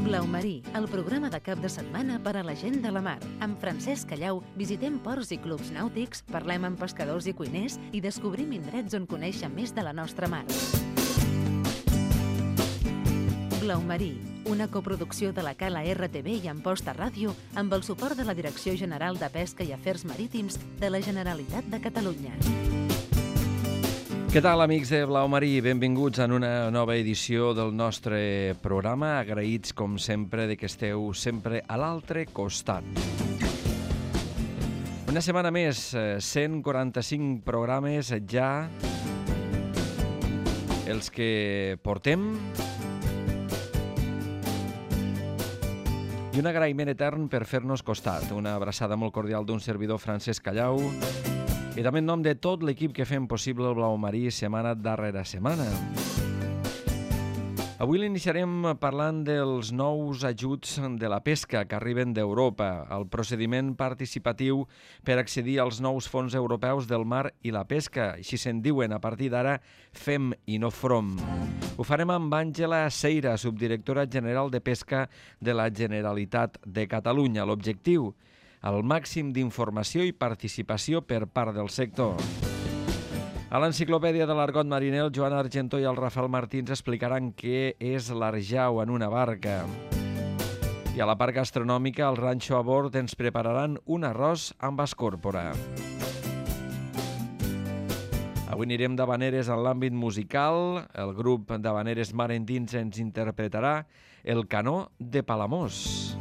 Blau Marí, el programa de cap de setmana per a la gent de la mar. Amb Francesc Callau visitem ports i clubs nàutics, parlem amb pescadors i cuiners i descobrim indrets on conèixer més de la nostra mar. Blau Marí, una coproducció de la Cala RTV i Amposta Ràdio amb el suport de la Direcció General de Pesca i Afers Marítims de la Generalitat de Catalunya. Què tal, amics de Blau Marí? Benvinguts en una nova edició del nostre programa. Agraïts, com sempre, de que esteu sempre a l'altre costat. Una setmana més, 145 programes ja, els que portem. I un agraïment etern per fer-nos costat. Una abraçada molt cordial d'un servidor, Francesc Callau, i també en nom de tot l'equip que fem possible el Blau Marí setmana darrere setmana. Avui l'iniciarem parlant dels nous ajuts de la pesca que arriben d'Europa, el procediment participatiu per accedir als nous fons europeus del mar i la pesca. Així se'n diuen a partir d'ara FEM i no FROM. Ho farem amb Àngela Seira, subdirectora general de Pesca de la Generalitat de Catalunya. L'objectiu: el màxim d'informació i participació per part del sector. A l'Enciclopèdia de l'Argot Mariner, el Joan Argentó i el Rafael Martins explicaran què és l'arjau en una barca. I a la part gastronòmica, el Ranxo a bord ens prepararan un arròs amb escòrpora. Avui anirem d'havaneres en l'àmbit musical. El grup d'havaneres Mar Endins ens interpretarà El canó de Palamós.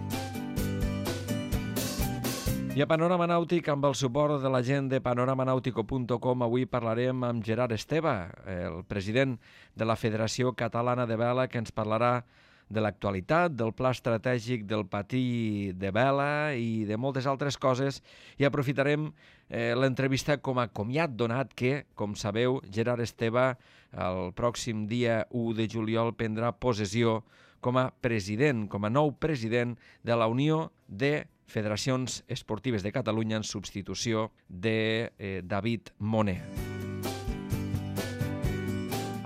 I a Panorama Nàutic, amb el suport de la gent de panoramanautico.com, avui parlarem amb Gerard Esteve, el president de la Federació Catalana de Vela, que ens parlarà de l'actualitat, del pla estratègic del patí de vela i de moltes altres coses. I aprofitarem l'entrevista com a comiat, donat que, com sabeu, Gerard Esteve el pròxim dia 1 de juliol prendrà possessió com a president, com a nou president de la Unió de Federacions Esportives de Catalunya en substitució de David Moner.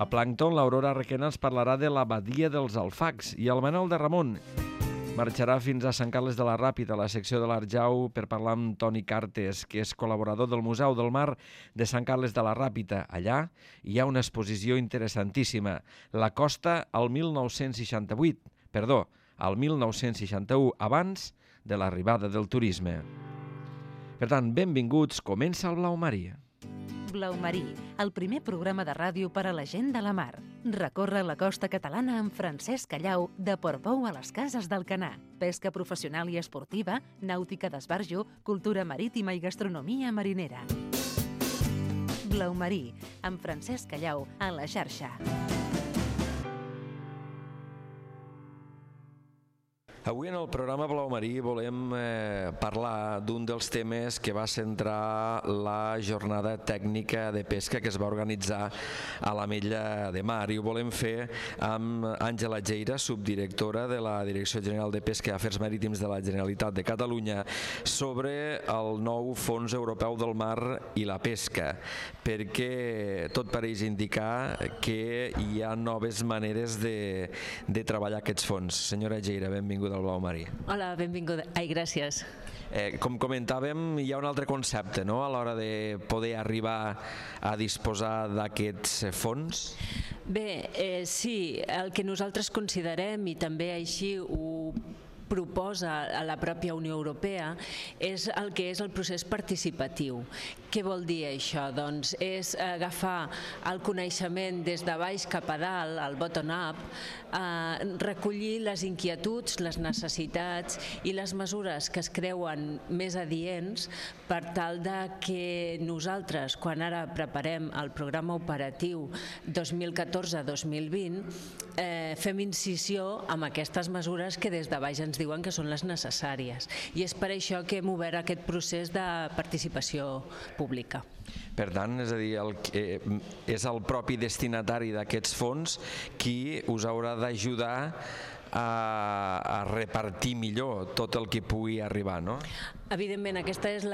A Plàncton, l'Aurora Requena ens parlarà de la Badia dels Alfacs i el Manol de Ramon marxarà fins a Sant Carles de la Ràpita, a la secció de l'Arjau, per parlar amb Toni Cartes, que és col·laborador del Museu del Mar de Sant Carles de la Ràpita. Allà hi ha una exposició interessantíssima, La costa al 1961, abans de l'arribada del turisme. Per tant, benvinguts, comença el Blau Marí. Blau Marí, el primer programa de ràdio per a la gent de la mar. Recorre la costa catalana amb Francesc Callau, de Portbou a les Cases d'Alcanar. Pesca professional i esportiva, nàutica d'esbarjo, cultura marítima i gastronomia marinera. Blau Marí, amb Francesc Callau, a la xarxa. Avui en el programa Blau Marí volem parlar d'un dels temes que va centrar la jornada tècnica de pesca que es va organitzar a l'Ametlla de Mar, i ho volem fer amb Àngela Seira, subdirectora de la Direcció General de Pesca i Afers Marítims de la Generalitat de Catalunya, sobre el nou Fons Europeu del Mar i la Pesca, perquè tot pareix indicar que hi ha noves maneres de treballar aquests fons. Senyora Seira, benvinguda al Blau Marí. Hola, benvinguda. Ai, gràcies. Com comentàvem, hi ha un altre concepte, no?, a l'hora de poder arribar a disposar d'aquests fons. Bé, sí, el que nosaltres considerem, i també així ho proposa a la pròpia Unió Europea, és el que és el procés participatiu. Què vol dir això? Doncs és agafar el coneixement des de baix cap a dalt, el bottom-up, recollir les inquietuds, les necessitats i les mesures que es creuen més adients per tal de que nosaltres, quan ara preparem el programa operatiu 2014-2020, fem incisió amb aquestes mesures que des de baix ens diuen que són les necessàries. I és per això que hem obert aquest procés de participació pública. Per tant, és a dir, és el propi destinatari d'aquests fons qui us haurà d'ajudar a repartir millor tot el que pugui arribar, no? Evidentment, aquest és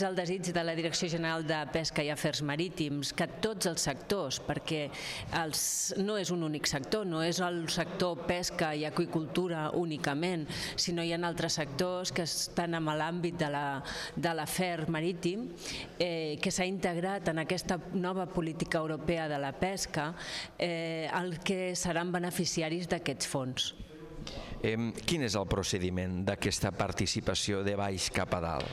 el desig de la Direcció General de Pesca i Afers Marítims, que tots els sectors, perquè no és un únic sector, no és el sector pesca i aqüicultura únicament, sinó hi ha altres sectors que estan en l'àmbit de l'afer marítim, que s'ha integrat en aquesta nova política europea de la pesca, el que seran beneficiaris d'aquests fons. Quin és el procediment d'aquesta participació de baix cap a dalt?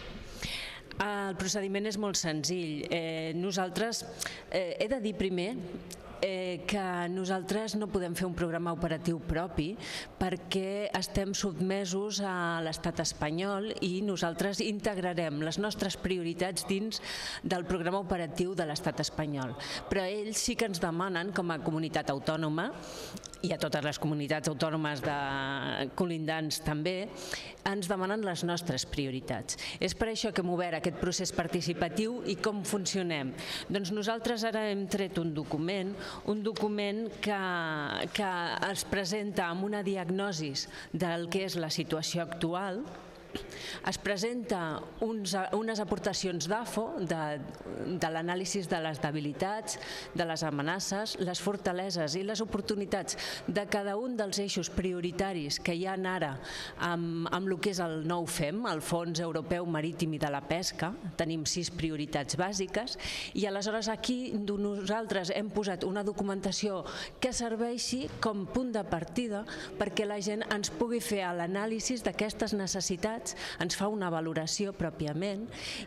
El procediment és molt senzill. Nosaltres, he de dir primer que nosaltres no podem fer un programa operatiu propi perquè estem sotmesos a l'estat espanyol i nosaltres integrarem les nostres prioritats dins del programa operatiu de l'estat espanyol. Però ells sí que ens demanen, com a comunitat autònoma, i a totes les comunitats autònomes colindants també, ens demanen les nostres prioritats. És per això que hem obert aquest procés participatiu. I com funcionem? Doncs nosaltres ara hem tret un document que es presenta amb una diagnosi del que és la situació actual. Es presenta unes aportacions d'AFO, de l'anàlisi de les debilitats, de les amenaces, les fortaleses i les oportunitats de cada un dels eixos prioritaris que hi ha ara amb el que és el nou FEM, el Fons Europeu Marítim i de la Pesca. Tenim 6 prioritats bàsiques i aleshores aquí nosaltres hem posat una documentació que serveixi com punt de partida perquè la gent ens pugui fer l'anàlisi d'aquestes necessitats, ens fa una valoració pròpiament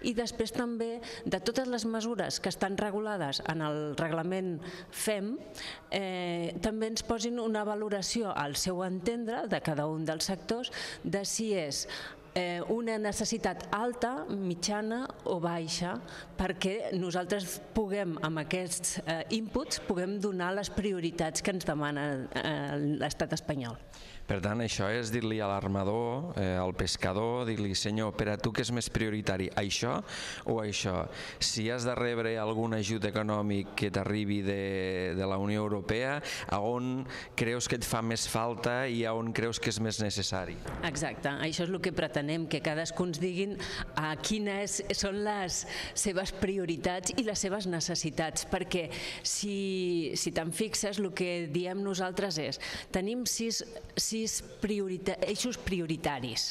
i després també de totes les mesures que estan regulades en el reglament FEM també ens posin una valoració al seu entendre de cada un dels sectors de si és una necessitat alta, mitjana o baixa perquè nosaltres puguem, amb aquests inputs, puguem donar les prioritats que ens demana l'estat espanyol. Per tant, això és dir-li a l'armador, al pescador, dir-li, senyor, per a tu què és més prioritari, això o això? Si has de rebre algun ajut econòmic que t'arribi de la Unió Europea, a on creus que et fa més falta i a on creus que és més necessari? Exacte, això és el que pretenem, que cadascú ens diguin quines són les seves prioritats i les seves necessitats, perquè si te'n fixes, el que diem nosaltres és, tenim 6 eixos prioritaris.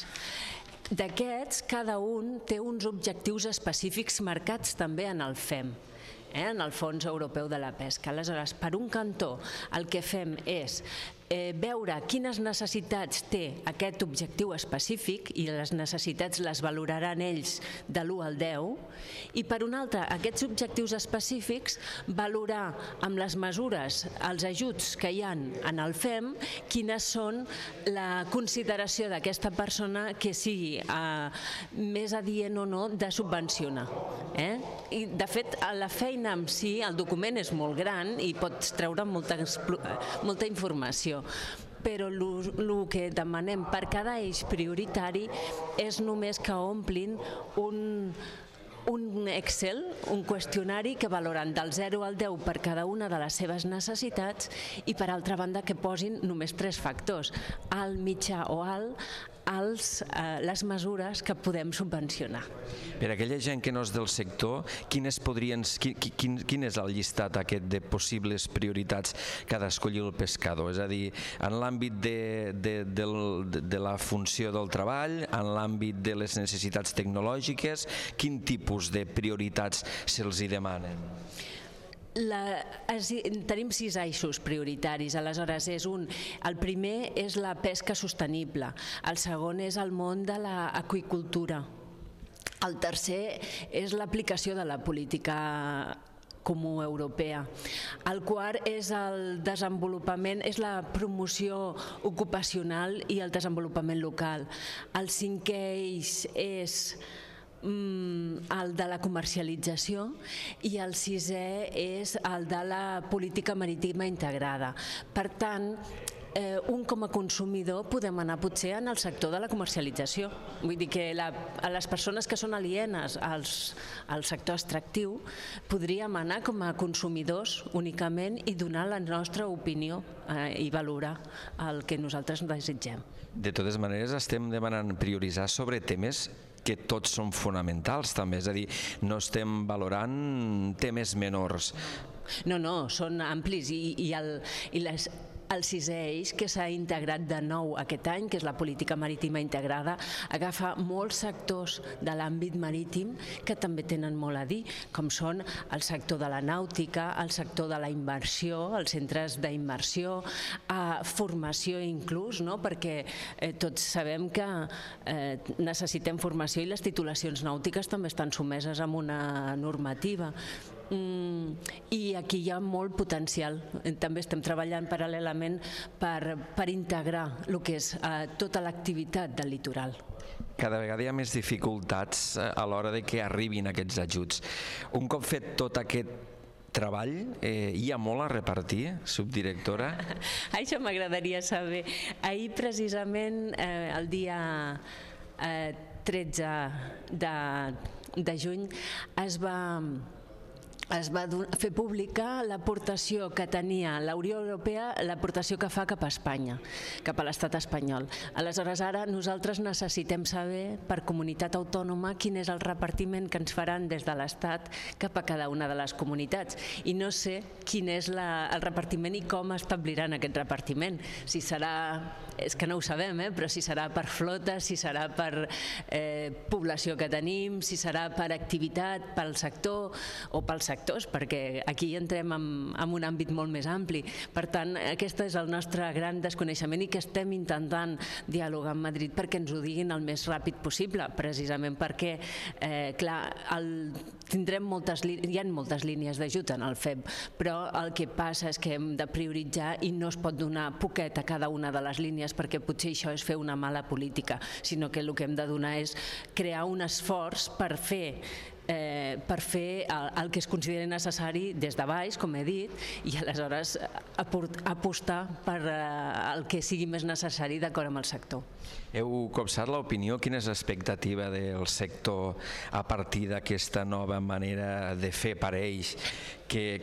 D'aquests, cada un té uns objectius específics marcats també en el FEM, en el Fons Europeu de la Pesca. Aleshores, per un cantó, el que fem és veure quines necessitats té aquest objectiu específic i les necessitats les valoraran ells de l'1 al 10 i per un altre, aquests objectius específics valorar amb les mesures, els ajuts que hi ha en el FEM, quines són la consideració d'aquesta persona que sigui més adient o no de subvencionar. I de fet, la feina en si, el document és molt gran i pots treure molta informació, però el que demanem per cada eix prioritari és només que omplin un Excel, un qüestionari que valoren del 0 al 10 per cada una de les seves necessitats i per altra banda que posin només 3 factors, alt, mitjà o alt, les mesures que podem subvencionar. Per a aquella gent que no és del sector, quin és el llistat aquest de possibles prioritats que ha d'escollir el pescador? És a dir, en l'àmbit de la funció del treball, en l'àmbit de les necessitats tecnològiques, quin tipus de prioritats se'ls hi demanen? Tenim 6 eixos prioritaris, aleshores el primer és la pesca sostenible, el segon és el món de l'aqüicultura, el tercer és l'aplicació de la política comú europea. El quart és el desenvolupament, és la promoció ocupacional i el desenvolupament local. El cinquè eix és el de la comercialització i el sisè és el de la política marítima integrada. Per tant, un com a consumidor podem anar potser en el sector de la comercialització. Vull dir que a les persones que són alienes al sector extractiu podríem anar com a consumidors únicament i donar la nostra opinió i valorar el que nosaltres desitgem. De totes maneres, estem demanant prioritzar sobre temes que tots són fonamentals també, és a dir, no estem valorant temes menors. No, són amplis i el sisè eix que s'ha integrat de nou aquest any, que és la política marítima integrada, agafa molts sectors de l'àmbit marítim que també tenen molt a dir, com són el sector de la nàutica, el sector de la immersió, els centres d'immersió, formació inclús, no? Perquè tots sabem que necessitem formació i les titulacions nàutiques també estan sotmeses a una normativa. I aquí hi ha molt potencial. També estem treballant paral·lelament per integrar el que és tota l'activitat del litoral. Cada vegada hi ha més dificultats a l'hora de que arribin aquests ajuts. Un cop fet tot aquest treball, hi ha molt a repartir, subdirectora? Això m'agradaria saber. Ahir precisament, el dia 13 de juny, es va fer pública l'aportació que tenia la Unió Europea, l'aportació que fa cap a Espanya, cap a l'estat espanyol. Aleshores, ara nosaltres necessitem saber per comunitat autònoma quin és el repartiment que ens faran des de l'estat cap a cada una de les comunitats. I no sé quin és el repartiment i com establiran aquest repartiment. Si serà, és que no ho sabem, però si serà per flota, si serà per població que tenim, si serà per activitat, pel sector o pels sectors, perquè aquí entrem en un àmbit molt més ampli. Per tant, aquest és el nostre gran desconeixement i que estem intentant dialogar amb Madrid perquè ens ho diguin el més ràpid possible, precisament perquè, clar, hi ha moltes línies d'ajut en el FEB, però el que passa és que hem de prioritzar i no es pot donar poquet a cada una de les línies perquè potser això és fer una mala política, sinó que el que hem de donar és crear un esforç per fer el que es consideri necessari des de baix, com he dit, i aleshores apostar per el que sigui més necessari d'acord amb el sector. Heu copsat l'opinió? Quina és l'expectativa del sector a partir d'aquesta nova manera de fer per ells? Que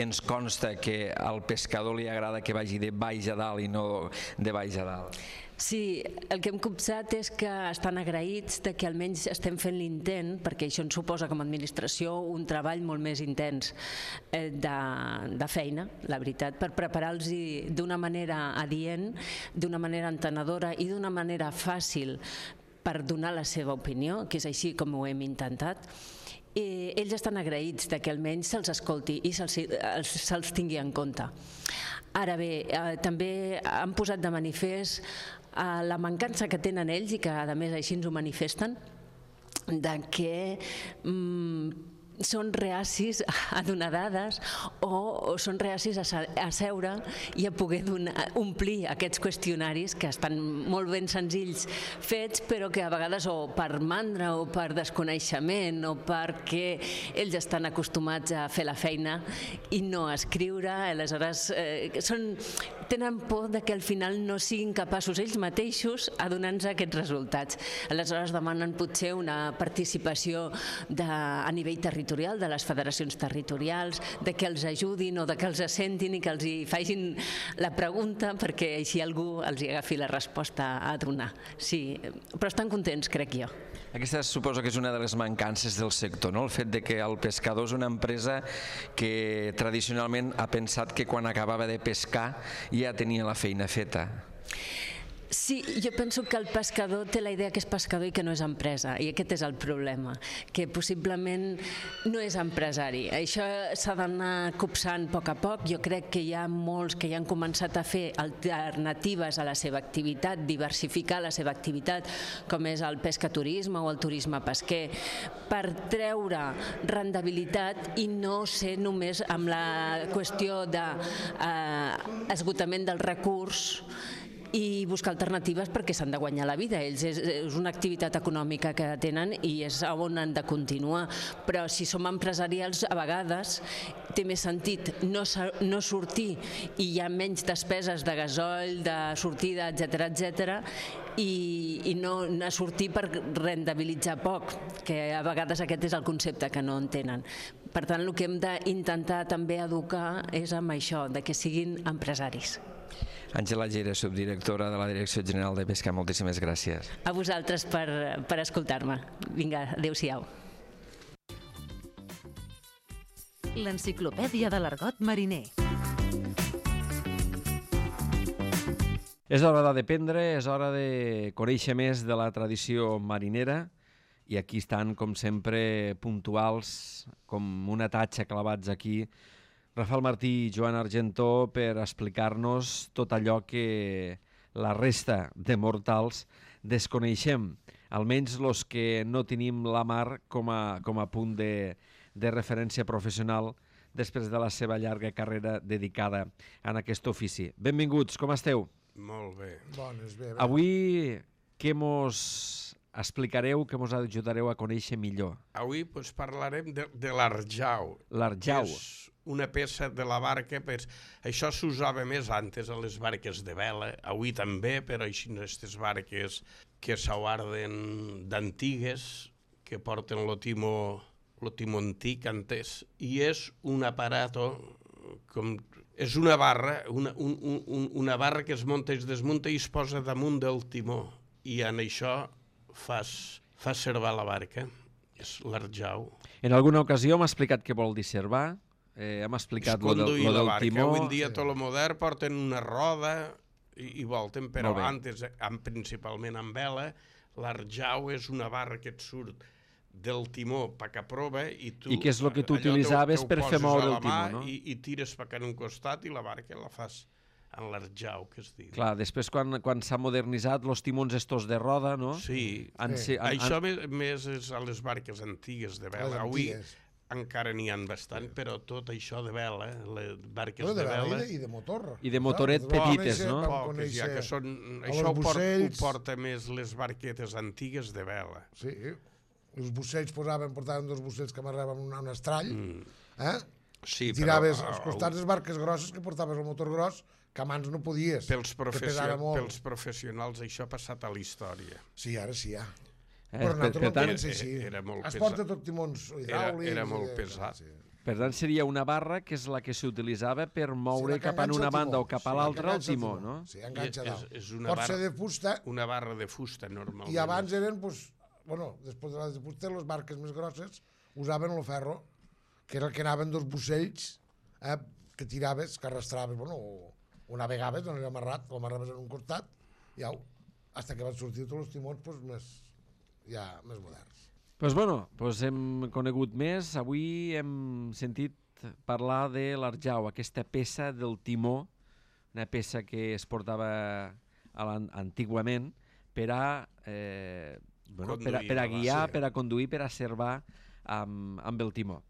ens consta que al pescador li agrada que vagi de baix a dalt i no de baix a dalt. Sí, el que hem copsat és que estan agraïts de que almenys estem fent l'intent, perquè això ens suposa com a administració un treball molt més intens de feina, la veritat, per preparar-los d'una manera adient, d'una manera entenedora i d'una manera fàcil per donar la seva opinió, que és així com ho hem intentat. Ells estan agraïts de que almenys se'ls escolti i se'ls tingui en compte. Ara bé, també han posat de manifest la mancança que tenen ells i que a més així ens ho manifesten, de que són reacis a donar dades o són reacis a seure i a poder omplir aquests qüestionaris que estan molt ben senzills fets, però que a vegades o per mandra o per desconeixement o perquè ells estan acostumats a fer la feina i no a escriure, aleshores tenen por de que al final no siguin capaços ells mateixos a donar-nos aquests resultats. Aleshores demanen potser una participació a nivell territorial de les federacions territorials, de que els ajudin o de que els assentin i que els hi facin la pregunta perquè així algú els hi agafi la resposta a donar. Sí, però estan contents, crec jo. Aquesta suposo que és una de les mancances del sector, no? El fet de que el pescador és una empresa que tradicionalment ha pensat que quan acabava de pescar ja tenia la feina feta. Sí, jo penso que el pescador té la idea que és pescador i que no és empresa, i aquest és el problema, que possiblement no és empresari. Això s'ha d'anar copsant a poc. Jo crec que hi ha molts que ja han començat a fer alternatives a la seva activitat, diversificar la seva activitat, com és el pescaturisme o el turisme pesquer, per treure rendibilitat i no ser només amb la qüestió d'esgotament del recurs i buscar alternatives perquè s'han de guanyar la vida. Ells és una activitat econòmica que tenen i és on han de continuar. Però si som empresarials, a vegades té més sentit no sortir i hi ha menys despeses de gasoil, de sortida, etcètera, i no sortir per rendibilitzar poc, que a vegades aquest és el concepte que no entenen. Per tant, el que hem d'intentar també educar és amb això, de que siguin empresaris. Àngela Llera, subdirectora de la Direcció General de Pesca, moltíssimes gràcies. A vosaltres per escoltar-me. Vinga, adéu-siau. L'enciclopèdia de l'argot mariner. És hora d'aprendre, és hora de conèixer més de la tradició marinera i aquí estan, com sempre, puntuals, com una tatxa clavats aquí, Rafael Martí i Joan Argentó per explicar-nos tot allò que la resta de mortals desconeixem, almenys els que no tenim la mar com a punt de referència professional després de la seva llarga carrera dedicada a aquest ofici. Benvinguts, com esteu? Molt bé. Bones, bé. Avui què mos explicareu, que mos ajudareu a conèixer millor? Avui parlarem de l'arjau. L'arjau. És una peça de la barca, això s'usava més antes a les barques de vela, avui també, però així aquestes barques que s'aguarden d'antigues, que porten lo timó antic antes, i és un aparato, és una barra, una barra que es munta i es desmunta i es posa damunt del timó, i en això fas servar la barca, és l'arjau. En alguna ocasió m'ha explicat què vol dir servar, hem explicat lo del timó. Avui en dia tot el modern porten una roda i volten, però antes, principalment amb vela, l'arjau és una barra que et surt del timó pa que prova i tu... I què és el que tu utilitzaves per fer moure el timó, no? I tires pa que en un costat i la barca la fas en l'arjau, que es diu. Clar, després quan s'ha modernitzat, els timons estos de roda, no? Sí, això més és a les barques antigues de vela. Avui encara n'hi ha bastant, però tot això de vela, les barques de vela... I de motor. I de motoret petites, no? Poques, ja que són... Això ho porta més les barquetes antigues de vela. Sí, els bussells portaven dos bussells que amarraven un estrall, Sí, tiraves als costats les barques grosses que portaves el motor gros, que abans no podies. Pels professionals això ha passat a la història. Sí, ara sí, ja. Però nosaltres era molt pesat. Es porta tot timons hidràulics. Era molt pesat. Per tant, seria una barra que és la que s'utilitzava per moure cap a una banda o cap a l'altra el timó, no? Sí, enganxa dalt. Pot ser de fusta. Una barra de fusta, normalment. I abans eren, després de la de fusta, les barques més grosses usaven el ferro, que era el que anaven dos bussells que tiraves, que arrastraves, o navegaves, no era amarrat, o amarraves en un costat, i au, fins que van sortir tots els timons més moderns. Doncs hem conegut més. Avui hem sentit parlar de l'arjau, aquesta peça del timó, una peça que es portava antigament per a guiar, per a conduir, per a servar amb el timó.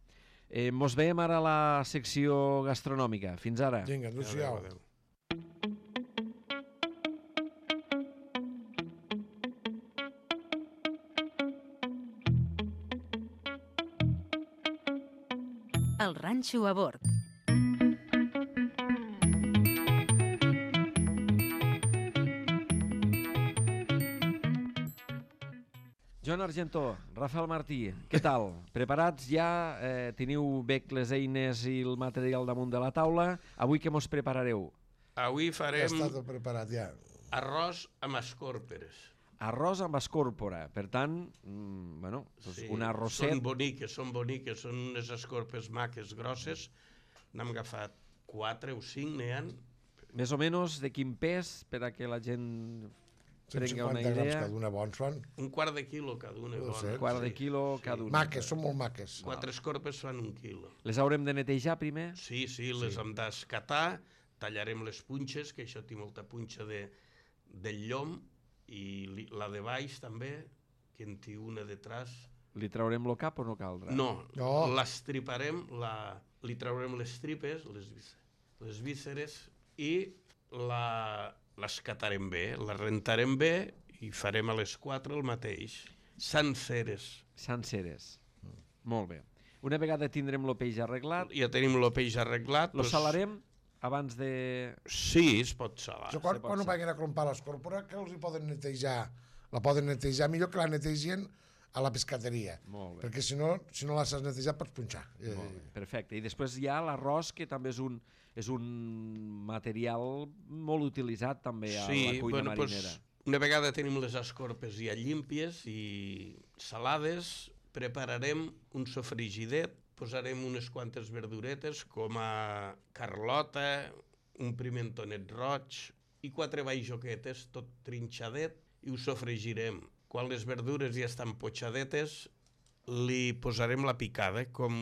Mos veiem ara a la secció gastronòmica. Fins ara. Vinga, adéu-siau. El ranxo a bord. Joan Argentó, Rafael Martí, què tal? Preparats ja? Teniu bé les eines i el material damunt de la taula? Avui què mos preparareu? Avui farem... Ja està tot preparat, ja. Arròs amb escòrperes. Arròs amb escòrpora, per tant, un arrosset... Són boniques, són unes escorpes maques, grosses. N'hem agafat 4 o 5, n'hi ha. Més o menys de quin pes, per a que la gent prenga una idea? 150 grams cada una, bons fan. Un quart de quilo cada una. Un quart de quilo cada una. Maques, són molt maques. 4 escorpes fan 1 quilo. Les haurem de netejar primer? Sí, les hem d'escatar, tallarem les punxes, que això té molta punxa del llom, i la de baix també, que en té una detrás. Li traurem el cap o no caldrà? No. L'estriparem, li traurem les tripes, les vísceres, i l'escatarem bé, la rentarem bé i farem a les 4 el mateix. Senceres. Molt bé. Una vegada tindrem el peix arreglat... Ja tenim el peix arreglat. Lo salarem abans de... Sí, es pot salar. Quan ho vagin a clompar l'escòrpora, que els hi poden netejar? La poden netejar millor que la netegen a la pescateria. Molt bé. Perquè si no la saps netejar pots punxar. Molt bé, perfecte. I després hi ha l'arròs, que també és un material molt utilitzat també a la cuina marinera. Una vegada tenim les escorpes ja llímpies i salades, prepararem un sofregidet, posarem unes quantes verduretes com a carlota, un pimentonet roig i 4 bajoquetes, tot trinxadet, i ho sofregirem. Quan les verdures ja estan potxadetes, li posarem la picada, com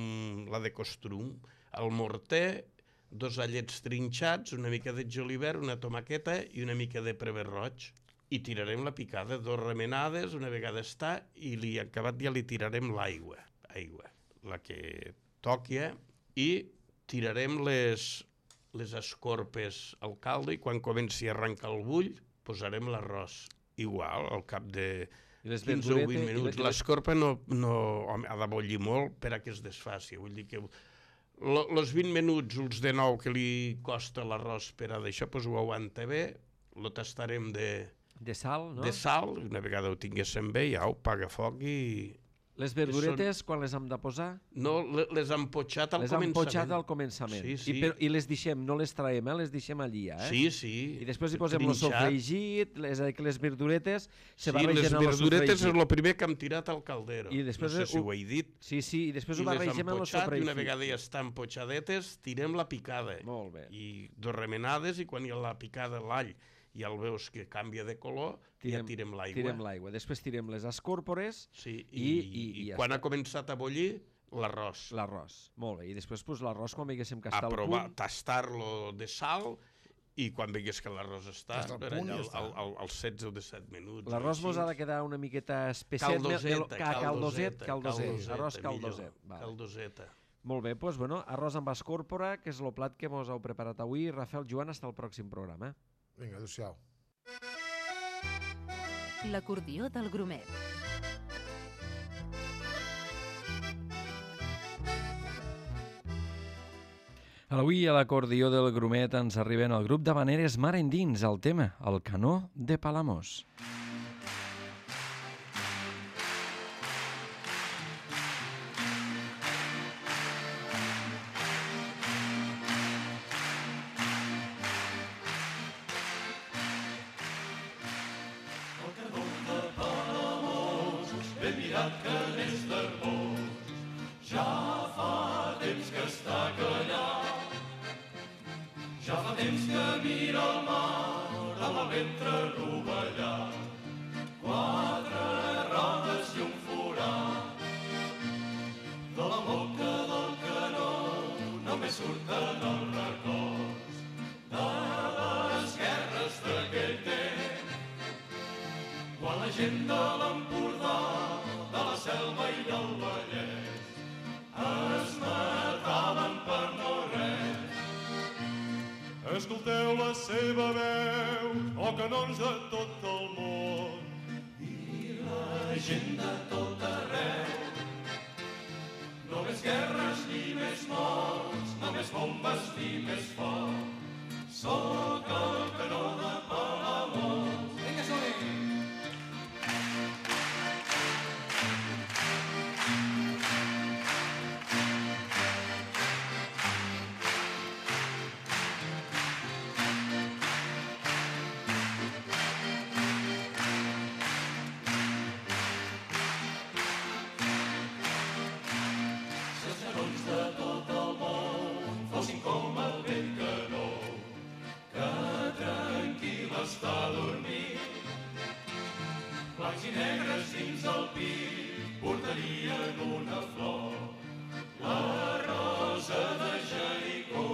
la de costrum, al morter, 2 allets trinxats, una mica de julivert, una tomaqueta i una mica de prever roig. I tirarem la picada, 2 remenades, una vegada està, i acabat ja li tirarem l'aigua, la que toqui, i tirarem les escorpes al caldo, i quan comenci a arrencar el bull, posarem l'arròs. Igual, al cap de 15 o 20 minuts. L'escorpa no ha de bullir molt per a que es desfaci. Vull dir que els 20 minuts, els de 9 que li costa l'arròs per a d'això, doncs ho aguanta bé, lo tastarem de sal, no? De sal, una vegada ho tinguéssim bé, ja ho paga foc i... Les verduretes, quan les hem de posar? No, les hem potxat al començament. Les hem potxat al començament. Sí. I les deixem, no les traiem, les deixem allí, Sí. I després hi posem el sofregit, les verduretes se barregen les amb el verduretes sofregit. és el primer que hem tirat al caldero. I després no sé si ho he dit. Sí, i després ho barregem amb el sofregit. I una vegada ja estan potxadetes, tirem la picada. Molt bé. I 2 remenades, i quan hi ha la picada, l'all, ja el veus que canvia de color, ja tirem l'aigua. Tirem l'aigua. Després tirem les escòrpores i quan ha començat a bullir, l'arròs. L'arròs, molt bé. I després l'arròs, quan veiéssim que està al punt... Tastar-lo de sal, i quan veigués que l'arròs està als 16 o 17 minuts. L'arròs mos ha de quedar una miqueta espesset. Caldoset. Arròs caldoset. Caldoseta. Molt bé, doncs, arròs amb escòrpora, que és el plat que mos heu preparat avui. Rafael, Joan, hasta el pròxim programa. Vinga, adéu-siau. L'acordió del Grumet. Avui a l'acordió del Grumet ens arriben el grup d'havaneres Mar Endins, el tema, el canó de Palamós. Escolteu la seva veu, canons de tot el món. I la gent de tot arreu. No més guerres ni més morts, no més bombes ni més foc. Soc el canó de Palamós. Vinga, som-hi! Blancs i negres dins el pit portarien una flor, la rosa de Jericó.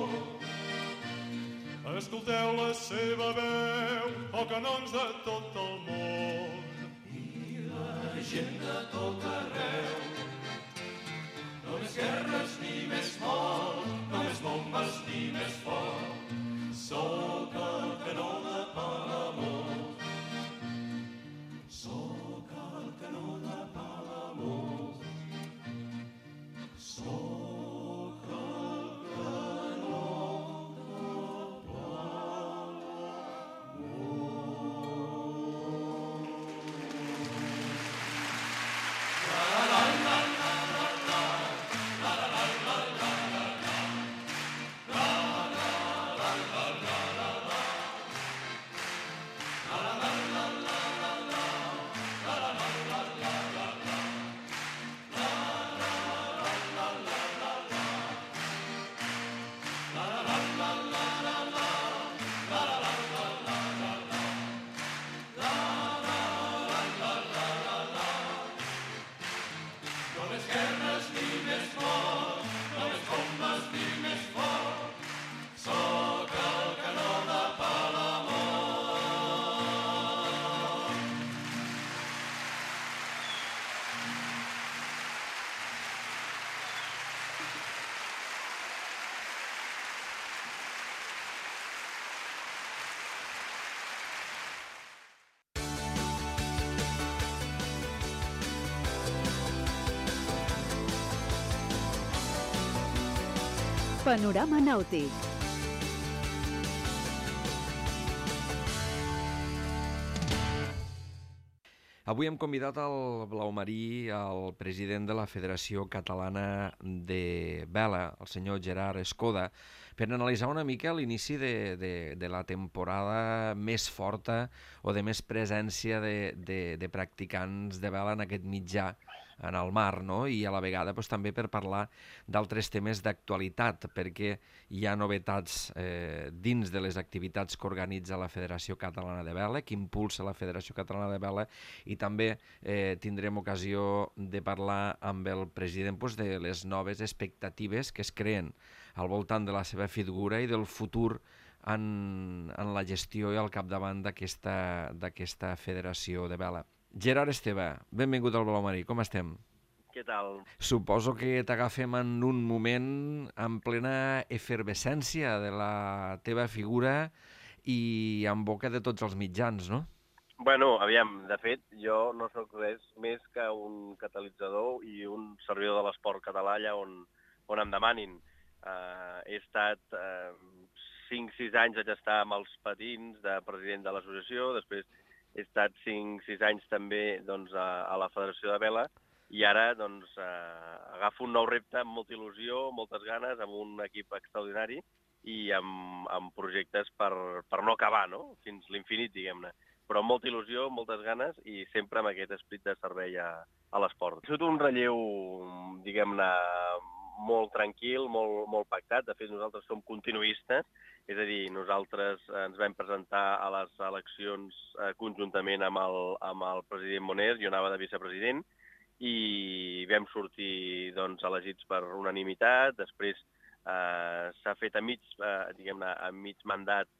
Escolteu la seva veu, canons de tot el món. I la gent de tot arreu. No més guerres ni més mort, no més bombes ni més foc. Soc el canó de Palamós. Soc el canó de Palamós. Soc el canó de Palamós. Panorama Nàutic. Avui hem convidat al Blau Marí, el president de la Federació Catalana de Vela, el senyor Gerard Escoda, per analitzar una mica l'inici de la temporada més forta o de més presència de practicants de vela en aquest mitjà, en el mar, no? I a la vegada també per parlar d'altres temes d'actualitat, perquè hi ha novetats dins de les activitats que organitza la Federació Catalana de Vela, que impulsa la Federació Catalana de Vela, i també tindrem ocasió de parlar amb el president de les noves expectatives que es creen al voltant de la seva figura i del futur en la gestió i al capdavant d'aquesta federació de vela. Gerard Esteve, benvingut al Blau Marí, com estem? Què tal? Suposo que t'agafem en un moment en plena efervescència de la teva figura i en boca de tots els mitjans, no? Bueno, aviam, de fet, jo no sóc res més que un catalitzador i un servidor de l'esport català allà on em demanin. He estat 5-6 anys, vaig estar amb els patins de president de l'associació, després he estat 5-6 anys també a la Federació de Vela i ara agafo un nou repte amb molta il·lusió, moltes ganes, amb un equip extraordinari i amb projectes per no acabar, no? Fins l'infinit, diguem-ne. Però amb molta il·lusió, moltes ganes i sempre amb aquest esperit de servei a l'esport. Ha sigut un relleu, diguem-ne, molt tranquil, molt pactat. De fet, nosaltres som continuistes, és a dir, nosaltres ens vam presentar a les eleccions conjuntament amb el president Moner, jo anava de vicepresident, i vam sortir elegits per unanimitat. Després s'ha fet a mig mandat,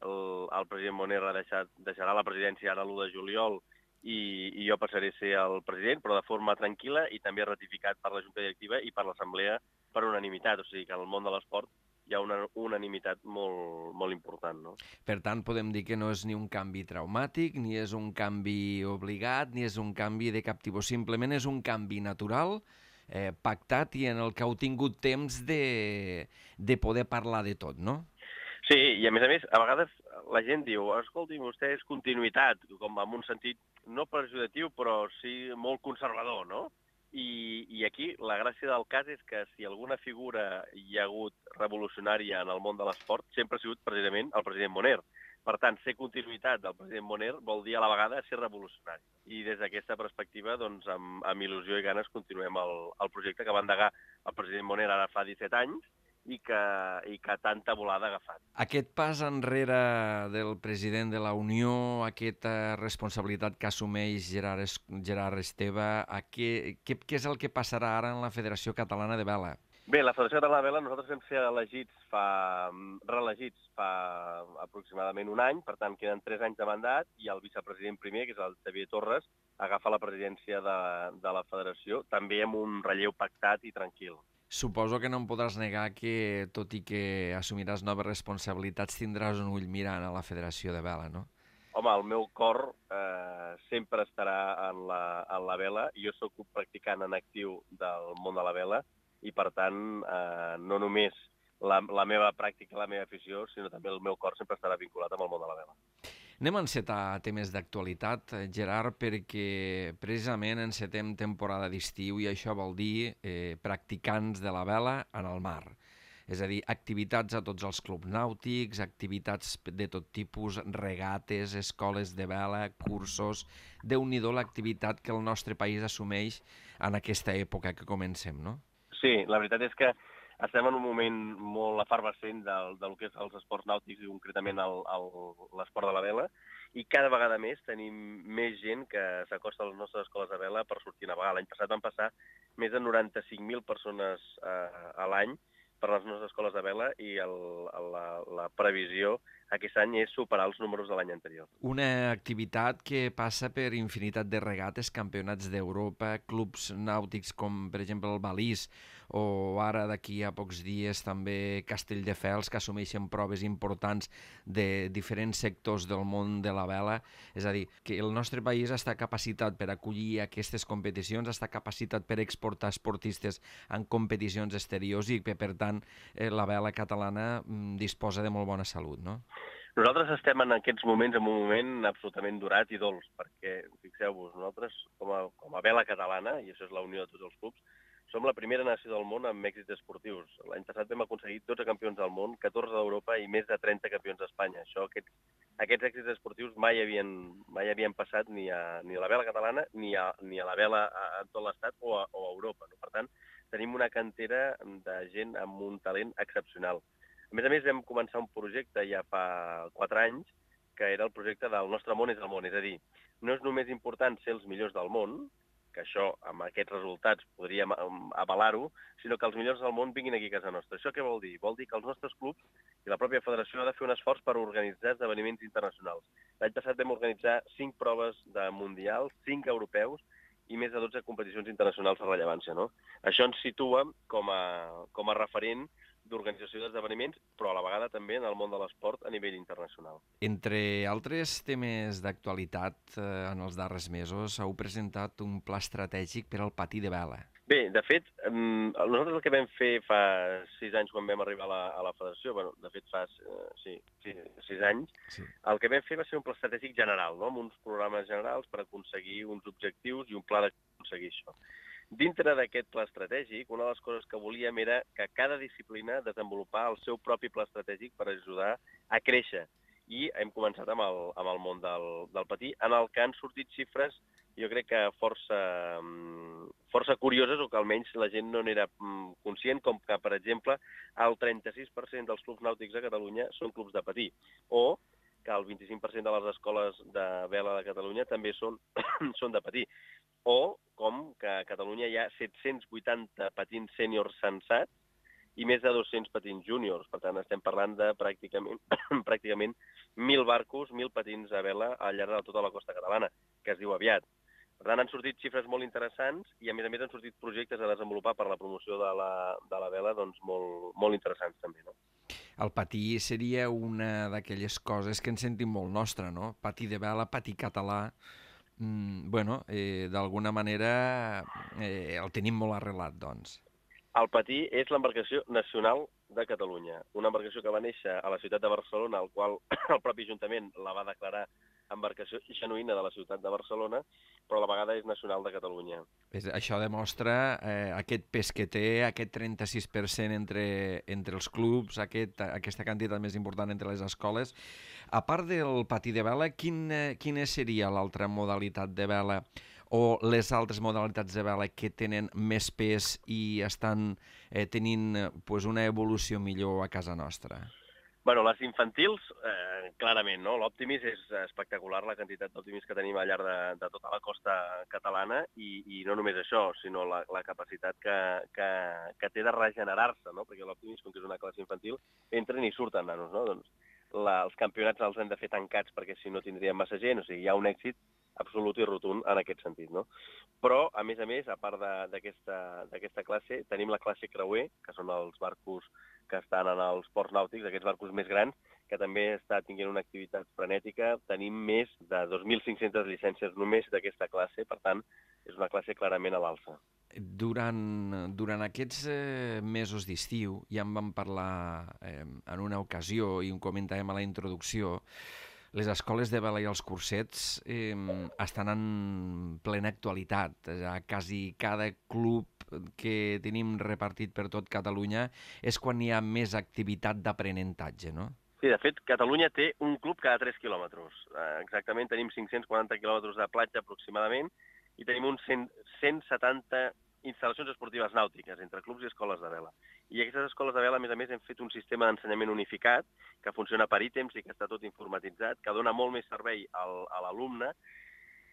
el president Moner deixarà la presidència ara l'1 de juliol i jo passaré a ser el president, però de forma tranquil·la i també ratificat per la Junta Directiva i per l'Assemblea per unanimitat. O sigui que en el món de l'esport hi ha una unanimitat molt important, no? Per tant, podem dir que no és ni un canvi traumàtic, ni és un canvi obligat, ni és un canvi de cap tipus. Simplement és un canvi natural, pactat i en el que heu tingut temps de poder parlar de tot, no? Sí, i a més, a vegades la gent diu, escolti, vostè és continuïtat, com en un sentit no pejoratiu, però sí molt conservador, no? I aquí la gràcia del cas és que si alguna figura hi ha hagut revolucionària en el món de l'esport, sempre ha sigut precisament el president Moner. Per tant, ser continuïtat del president Moner vol dir a la vegada ser revolucionari. I des d'aquesta perspectiva, amb il·lusió i ganes, continuem el projecte que va endegar el president Moner ara fa 17 anys, i que tanta volada ha agafat. Aquest pas enrere del president de la Unió, aquesta responsabilitat que assumeix Gerard Esteve, què és el que passarà ara en la Federació Catalana de Vela? Bé, la Federació Catalana de Vela nosaltres vam ser reelegits fa aproximadament un any, per tant queden 3 anys de mandat i el vicepresident primer, que és el Xavier Torres, agafa la presidència de la Federació, també amb un relleu pactat i tranquil. Suposo que no em podràs negar que, tot i que assumiràs noves responsabilitats, tindràs un ull mirant a la Federació de Vela, no? Home, el meu cor sempre estarà en la vela. Jo sóc un practicant en actiu del món de la vela i, per tant, no només la meva pràctica, la meva afició, sinó també el meu cor sempre estarà vinculat amb el món de la vela. Anem a encetar temes d'actualitat, Gerard, perquè precisament encetem temporada d'estiu i això vol dir practicants de la vela en el mar. És a dir, activitats a tots els clubs nàutics, activitats de tot tipus, regates, escoles de vela, cursos. Déu-n'hi-do l'activitat que el nostre país assumeix en aquesta època que comencem, no? Sí, la veritat és que estem en un moment molt efervescent del que és els esports nàutics i concretament l'esport de la vela, i cada vegada més tenim més gent que s'acosta a les nostres escoles de vela per sortir a navegar. L'any passat van passar més de 95.000 persones a l'any per les nostres escoles de vela i la previsió aquest any és superar els números de l'any anterior. Una activitat que passa per infinitat de regates, campionats d'Europa, clubs nàutics com, per exemple, el Balís, o ara d'aquí a pocs dies també Castelldefels, que assumeixen proves importants de diferents sectors del món de la vela. És a dir, que el nostre país està capacitat per acollir aquestes competicions, està capacitat per exportar esportistes en competicions exteriors i que, per tant, la vela catalana disposa de molt bona salut, no? Nosaltres estem en aquests moments en un moment absolutament durat i dolç, perquè, fixeu-vos, nosaltres, com a vela catalana, i això és la unió de tots els clubs, som la primera nació del món amb èxits esportius. L'any passat vam aconseguir 12 campions del món, 14 d'Europa i més de 30 campions d'Espanya. Aquests èxits esportius mai havien passat ni a la vela catalana ni a la vela a tot l'Estat o a Europa. No? Per tant, tenim una cantera de gent amb un talent excepcional. A més, vam començar un projecte ja fa 4 anys, que era el projecte del Nostre món és el món. És a dir, no és només important ser els millors del món, que això, amb aquests resultats, podríem avalar-ho, sinó que els millors del món vinguin aquí a casa nostra. Això què vol dir? Vol dir que els nostres clubs i la pròpia federació ha de fer un esforç per organitzar esdeveniments internacionals. L'any passat vam organitzar 5 proves de mundials, 5 europeus i més de 12 competicions internacionals de rellevància. No? Això ens situa com a referent d'organització d'esdeveniments, però a la vegada també en el món de l'esport a nivell internacional. Entre altres temes d'actualitat en els darrers mesos, heu presentat un pla estratègic per al patí de vela. Bé, de fet, nosaltres el que vam fer fa 6 anys quan vam arribar a la federació, de fet fa 6 anys, sí. El que vam fer va ser un pla estratègic general, no? Amb uns programes generals per aconseguir uns objectius i un pla d'aconseguir això. Dintre d'aquest pla estratègic, una de les coses que volíem era que cada disciplina desenvolupar el seu propi pla estratègic per ajudar a créixer. I hem començat amb el món del patí, en el que han sortit xifres, jo crec que força curioses, o que almenys la gent no n'era conscient, com que, per exemple, el 36% dels clubs nàutics a Catalunya són clubs de patí, o que el 25% de les escoles de vela de Catalunya també són de patí. O com que a Catalunya hi ha 780 patins sèniors censats i més de 200 patins júniors. Per tant, estem parlant de pràcticament 1.000 barcos, 1.000 patins a vela al llarg de tota la costa catalana, que es diu aviat. Per tant, han sortit xifres molt interessants i, a més han sortit projectes a desenvolupar per la promoció de la vela doncs, molt interessants també, no? El patí seria una d'aquelles coses que ens sentim molt nostra, no? Patí de vela, patí català. D'alguna manera el tenim molt arrelat, doncs. El patí és l'embarcació nacional de Catalunya, una embarcació que va néixer a la ciutat de Barcelona, al qual el propi Ajuntament la va declarar embarcació genuïna de la ciutat de Barcelona, però a la vegada és nacional de Catalunya. Això demostra aquest pes que té, aquest 36% entre els clubs, aquesta quantitat més important entre les escoles. A part del patí de vela, quina seria l'altra modalitat de vela o les altres modalitats de vela que tenen més pes i estan tenint una evolució millor a casa nostra? Bueno, les infantils, clarament, no? L'Optimis és espectacular, la quantitat d'Optimis que tenim al llarg de tota la costa catalana i no només això, sinó la capacitat que té de regenerar-se, no? Perquè l'Optimis, com que és una classe infantil, entren i surten nanos, no? Doncs els campionats els hem de fer tancats perquè si no tindríem massa gent, o sigui, hi ha un èxit absolut i rotund en aquest sentit, no? Però, a més, a part d'aquesta classe, tenim la classe creuer, que són els barcos que estan en els ports nàutics, aquests barcos més grans, que també està tenint una activitat frenètica. Tenim més de 2.500 llicències només d'aquesta classe, per tant, és una classe clarament a l'alça. Durant aquests mesos d'estiu, ja en vam parlar en una ocasió i ho comentàvem a la introducció, les escoles de vela i els cursets estan en plena actualitat. Quasi cada club que tenim repartit per tot Catalunya és quan hi ha més activitat d'aprenentatge, no? Sí, de fet, Catalunya té un club cada 3 quilòmetres. Exactament, tenim 540 quilòmetres de platja aproximadament i tenim uns 170 instal·lacions esportives nàutiques entre clubs i escoles de vela. I aquestes escoles de vela, a més, hem fet un sistema d'ensenyament unificat que funciona per ítems i que està tot informatitzat, que dona molt més servei a l'alumne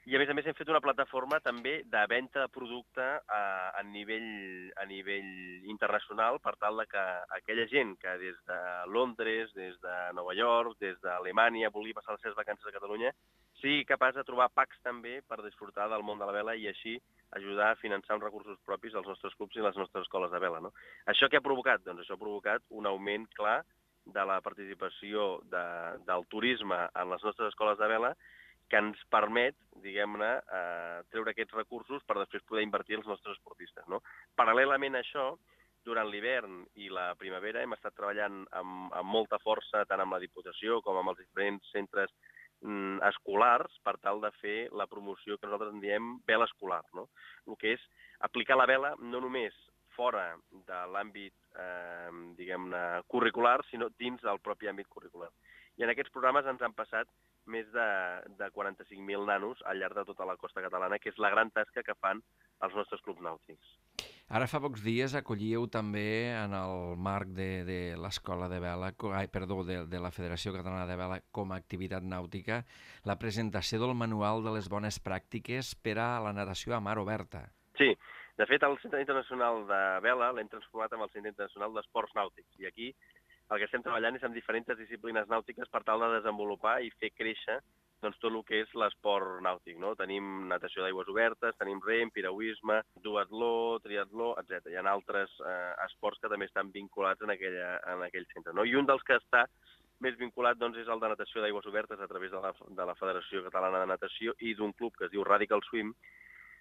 I a més hem fet una plataforma també de venda de producte a nivell internacional per tal de que aquella gent que des de Londres, des de Nova York, des d'Alemanya vulgui passar les seves vacances a Catalunya sigui capaç de trobar packs també per disfrutar del món de la vela i així ajudar a finançar uns recursos propis als nostres clubs i les nostres escoles de vela. No? Això què ha provocat? Doncs això ha provocat un augment clar de la participació del turisme en les nostres escoles de vela que ens permet, diguem-ne, treure aquests recursos per després poder invertir els nostres esportistes. No? Paral·lelament a això, durant l'hivern i la primavera hem estat treballant amb molta força tant amb la Diputació com amb els diferents centres escolars per tal de fer la promoció que nosaltres en diem vela escolar. No? El que és aplicar la vela no només fora de l'àmbit, diguem-ne, curricular, sinó dins del propi àmbit curricular. I en aquests programes ens han passat més de 45.000 nanos al llarg de tota la costa catalana, que és la gran tasca que fan els nostres clubs nàutics. Ara fa pocs dies acollíeu també en el marc de l'Escola de Vela, de la Federació Catalana de Vela com a activitat nàutica, la presentació del manual de les bones pràctiques per a la natació a mar oberta. Sí, de fet el Centre Internacional de Vela l'hem transformat en el Centre Internacional d'Esports Nàutics i aquí el que estem treballant és en diferents disciplines nàutiques per tal de desenvolupar i fer créixer doncs, tot el que és l'esport nàutic. No? Tenim natació d'aigües obertes, tenim rem, piragüisme, duatló, triatló, etc. Hi ha altres esports que també estan vinculats en aquell centre. No? I un dels que està més vinculat doncs, és el de natació d'aigües obertes a través de la Federació Catalana de Natació i d'un club que es diu Radical Swim,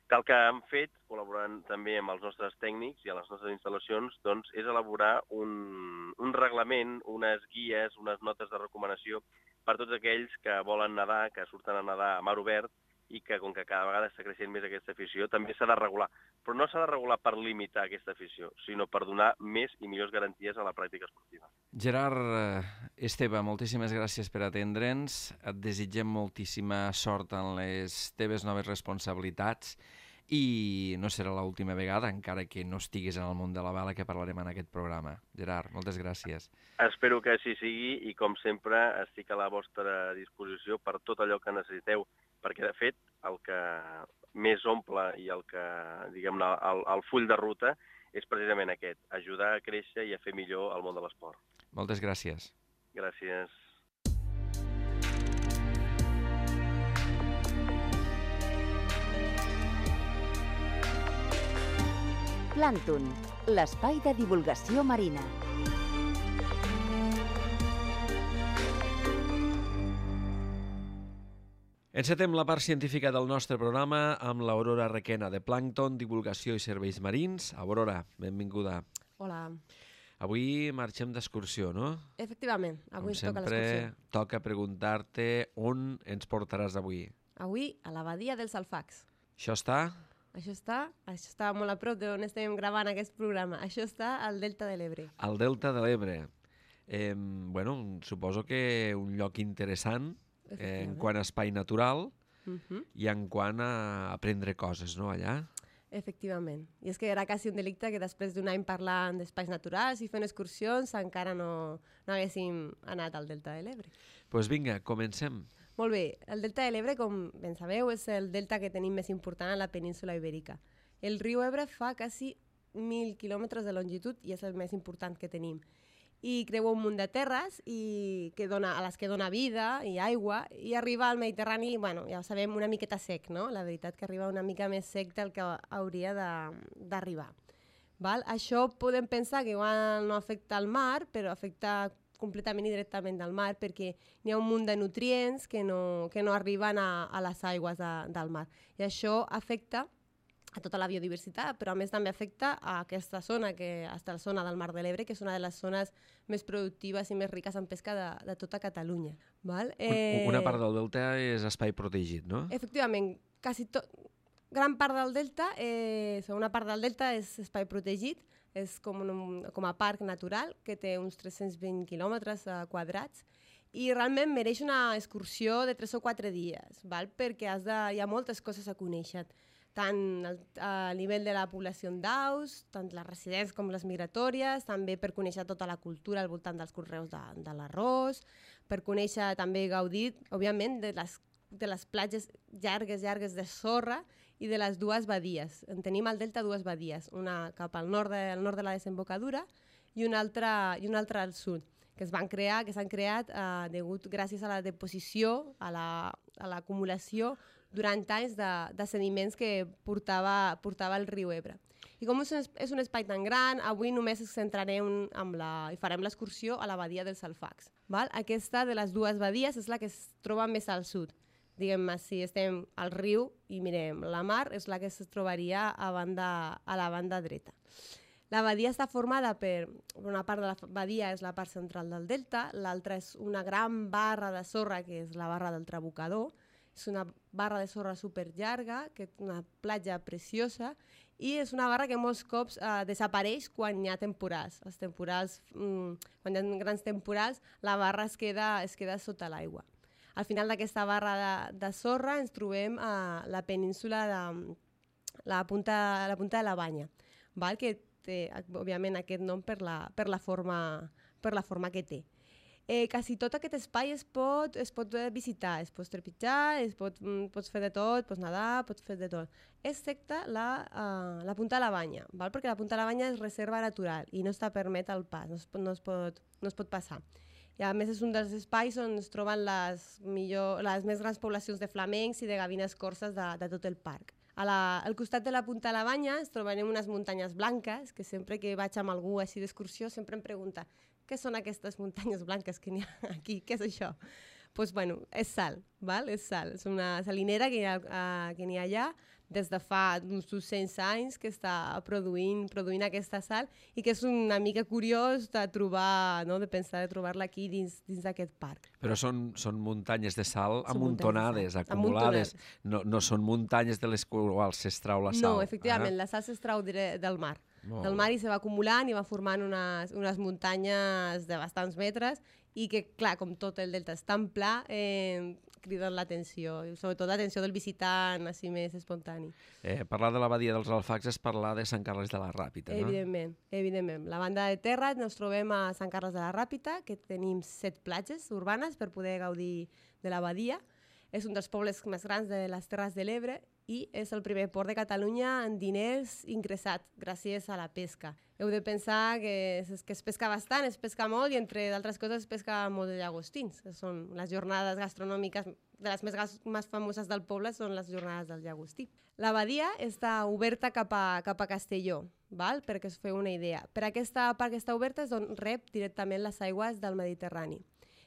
que el que han fet, col·laborant també amb els nostres tècnics i a les nostres instal·lacions, doncs, és elaborar un reglament, unes guies, unes notes de recomanació per tots aquells que volen nedar, que surten a nedar a mar obert i que, com que cada vegada està creixent més aquesta afició, també s'ha de regular. Però no s'ha de regular per limitar aquesta afició, sinó per donar més i millors garanties a la pràctica esportiva. Gerard Esteve, moltíssimes gràcies per atendre'ns. Et desitgem moltíssima sort en les teves noves responsabilitats i no serà l'última vegada, encara que no estiguis en el món de la vela, que parlarem en aquest programa. Gerard, moltes gràcies. Espero que així sigui i, com sempre, estic a la vostra disposició per tot allò que necessiteu, perquè, de fet, el que més omple i el que, diguem-ne, el full de ruta és precisament aquest, ajudar a créixer i a fer millor el món de l'esport. Moltes gràcies. Gràcies. Plàncton, l'espai de divulgació marina. Encetem la part científica del nostre programa amb l'Aurora Requena, de Plàncton, Divulgació i Serveis Marins. Aurora, benvinguda. Hola. Avui marxem d'excursió, no? Efectivament, avui ens toca l'excursió. Com sempre, toca preguntar-te on ens portaràs avui. Avui a la badia dels Alfacs. Això està? Això està molt a prop d'on estem gravant aquest programa. Això està al Delta de l'Ebre. Al Delta de l'Ebre. Bueno, suposo que un lloc interessant en quant a espai natural i en quant a aprendre coses, no, allà? Efectivament. I és que era quasi un delicte que després d'un any parlant d'espais naturals i fent excursions encara no haguéssim anat al Delta de l'Ebre. Doncs vinga, comencem. Molt bé. El Delta de l'Ebre, com ben sabeu, és el delta que tenim més important a la península Ibèrica. El riu Ebre fa quasi 1.000 quilòmetres de longitud i és el més important que tenim. I creua un munt de terres a les que dona vida i aigua, i arriba al Mediterrani, bueno, ja ho sabem, una miqueta sec, no? La veritat que arriba una mica més sec del que hauria d'arribar. Això podem pensar que igual no afecta al mar, però afecta completament i directament al mar, perquè n'hi ha un munt de nutrients que no arriben a les aigües del mar. I això afecta a tota la biodiversitat, però a més també afecta a aquesta zona, la zona del Mar de l'Ebre, que és una de les zones més productives i més riques en pesca de tota Catalunya. Una part del delta és espai protegit, no? Efectivament, gran part del delta, una part del delta és espai protegit, és com a parc natural, que té uns 320 quilòmetres quadrats, i realment mereix una excursió de 3 o 4 dies, perquè hi ha moltes coses a conèixer, tant a nivell de la població d'aus, tant les residents com les migratòries, també per conèixer tota la cultura al voltant dels conreus de l'arròs, per conèixer també gaudir, òbviament, de les les platges llargues de sorra i de les dues badies. En tenim al delta dues badies, una cap al nord de la desembocadura i una altra al sud, que s'han creat gràcies a la deposició, a l'acumulació durant anys de sediments que portava el riu Ebre. I com és un espai tan gran, avui només ens centrarem i farem l'excursió a la badia dels Alfacs. Val? Aquesta de les dues badies és la que es troba més al sud. Diguem-ne, si estem al riu i mirem la mar, és la que es trobaria a la banda dreta. La badia està formada per una part de la badia és la part central del delta, l'altra és una gran barra de sorra, que és la barra del Trabucador. És una barra de sorra superllarga, que és una platja preciosa, i és una barra que molts cops desapareix quan hi ha temporals. Quan hi ha grans temporals, la barra es queda sota l'aigua. Al final d'aquesta barra de sorra ens trobem a la península de la punta de la Banya, val? Que té, òbviament, aquest nom per la forma que té. Quasi tot aquest espai es pot visitar, es pot trepitjar, pots fer de tot, pots nedar, pots fer de tot, excepte la punta de la Banya, val? Perquè la punta de la Banya és reserva natural i no està permet el pas, no es pot passar. I a més és un dels espais on es troben les més grans poblacions de flamencs i de gavines corses de tot el parc. Al costat de la punta de la Banya es trobarem unes muntanyes blanques, que sempre que vaig amb algú així d'excursió sempre em pregunta què són aquestes muntanyes blanques que n'hi ha aquí, què és això? Doncs, bueno, és sal, val? És sal. És una salinera que n'hi ha allà des de fa uns 200 anys que està produint aquesta sal i que és una mica curiós de trobar, no? De pensar de trobar-la aquí dins d'aquest parc. Però són muntanyes de sal amuntonades, acumulades. No són muntanyes de les quals s'extrau la sal. No, efectivament, la sal s'extrau del mar. Del mar i se va acumulant i va formant unes muntanyes de bastants metres i que, clar, com tot el delta és tan pla, criden l'atenció, sobretot l'atenció del visitant així més espontani. Parlar de la badia dels Alfacs és parlar de Sant Carles de la Ràpita, no? Evidentment. La banda de terra ens trobem a Sant Carles de la Ràpita, que tenim 7 platges urbanes per poder gaudir de la badia. És un dels pobles més grans de les Terres de l'Ebre i és el primer port de Catalunya en diners ingressat gràcies a la pesca. Heu de pensar que es pesca bastant, es pesca molt i entre d'altres coses es pesca molt de llagostins. Són les jornades gastronòmiques de les més famoses del poble, són les jornades del llagostí. La badia està oberta cap a Castelló, val? Perquè us feu una idea. Per aquesta part que està oberta és on rep directament les aigües del Mediterrani.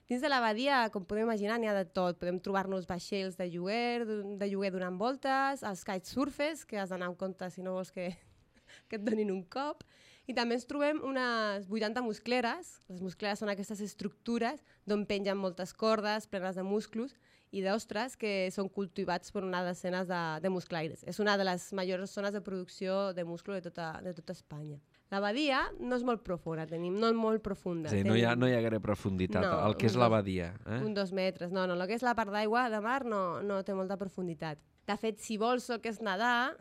Dins de la badia, com podem imaginar, n'hi ha de tot. Podem trobar-nos vaixells de lloguer donant voltes, els kitesurfers, que has d'anar amb compte si no vols que et donin un cop. I també ens trobem unes 80 muscleres. Les muscleres són aquestes estructures d'on pengen moltes cordes plenes de musclos i d'ostres que són cultivats per una decena de musclaires. És una de les majors zones de producció de musclo de tota Espanya. La badia no és molt profunda, no és molt profunda. Sí, no hi ha gaire profunditat, el que és la badia. Un 2 metres. No, el que és la part d'aigua de mar no té molta profunditat. De fet, si vols el que és nedar,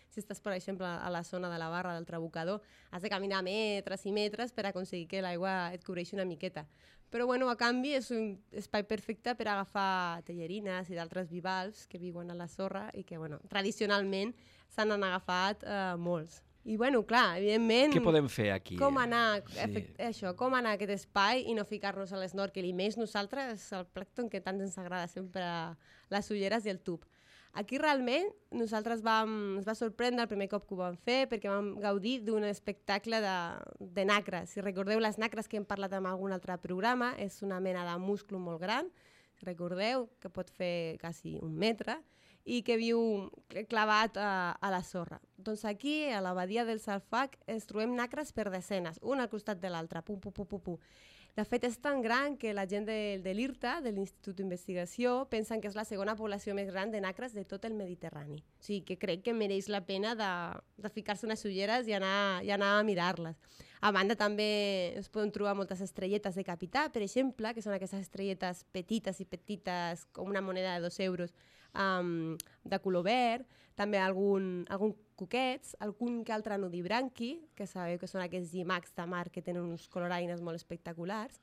si estàs, per exemple, a la zona de la barra del Trabucador, has de caminar metres i metres per aconseguir que l'aigua et cobreixi una miqueta. Però, bueno, a canvi, és un espai perfecte per agafar tellerines i d'altres bivalves que viuen a la sorra i que, bueno, tradicionalment s'han agafat molts. I, bueno, clar, evidentment... Què podem fer aquí? Com anar a aquest espai i no ficar-nos a l'esnorkel, i més nosaltres, el plàncton que tant ens agrada sempre, les ulleres i el tub. Aquí realment nosaltres ens va sorprendre el primer cop que ho vam fer perquè vam gaudir d'un espectacle de nacres. Si recordeu les nacres que hem parlat en algun altre programa, és una mena de musclo molt gran, recordeu, que pot fer quasi 1 metre, i que viu clavat a la sorra. Doncs aquí, a la badia del Alfac, ens trobem nacres per desenes, un al costat de l'altre, pum, pum, pum, pum, pum. De fet, és tan gran que la gent de l'IRTA, de l'Institut d'Investigació, pensen que és la segona població més gran de nacres de tot el Mediterrani. O sigui, que crec que mereix la pena de ficar-se unes ulleres i anar a mirar-les. A banda, també es poden trobar moltes estrelletes de capità, per exemple, que són aquestes estrelletes petites, com una moneda de 2 euros, de color verd, també algun cuquets, algun que altre nudibranqui, que sabeu que són aquests llimacs de mar que tenen uns coloraines molt espectaculars,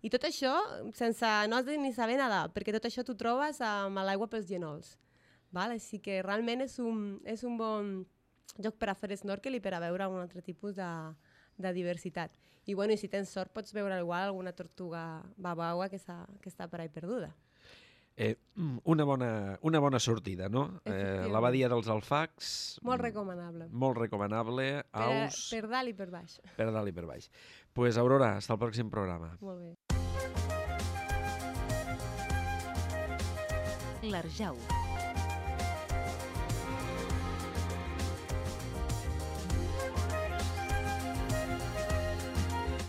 I tot això sense no has de ni saber nedar, perquè tot això t'ho trobes amb l'aigua pels genols. Val? Així que realment és un bon lloc per a fer snorkel i per a veure un altre tipus de diversitat. I, bueno, i si tens sort pots veure igual alguna tortuga babaua que està per ahí perduda. Una bona sortida, no? La badia dels Alfacs... Molt recomanable. Molt recomanable. Aus... Per dalt i per baix. Per dalt i per baix. Pues, Aurora, hasta el pròxim programa. Molt bé. L'Arjau.